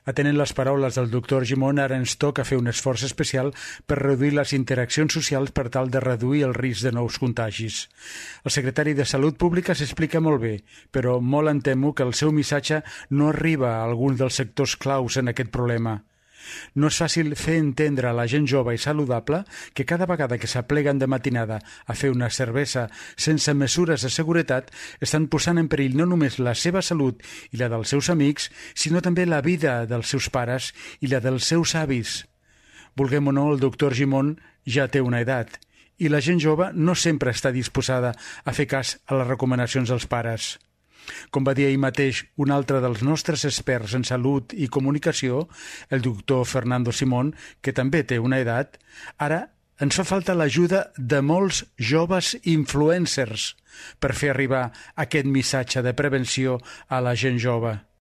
Atenent les paraules del doctor Gimón, ara ens toca fer un esforç especial per reduir les interaccions socials per tal de reduir el risc de nous contagis. El secretari de Salut Pública s'explica molt bé, però molt em temo que el seu missatge no arriba a alguns dels sectors claus en aquest problema. No és fàcil fer entendre a la gent jove i saludable que cada vegada que s'apleguen de matinada a fer una cervesa sense mesures de seguretat estan posant en perill no només la seva salut i la dels seus amics, sinó també la vida dels seus pares i la dels seus avis. Vulguem o no, el doctor Gimón ja té una edat i la gent jove no sempre està disposada a fer cas a les recomanacions dels pares. Com va dir ahir mateix un altre dels nostres experts en salut i comunicació, el doctor Fernando Simón, que també té una edat, ara ens fa falta l'ajuda de molts joves influencers per fer arribar aquest missatge de prevenció a la gent jove.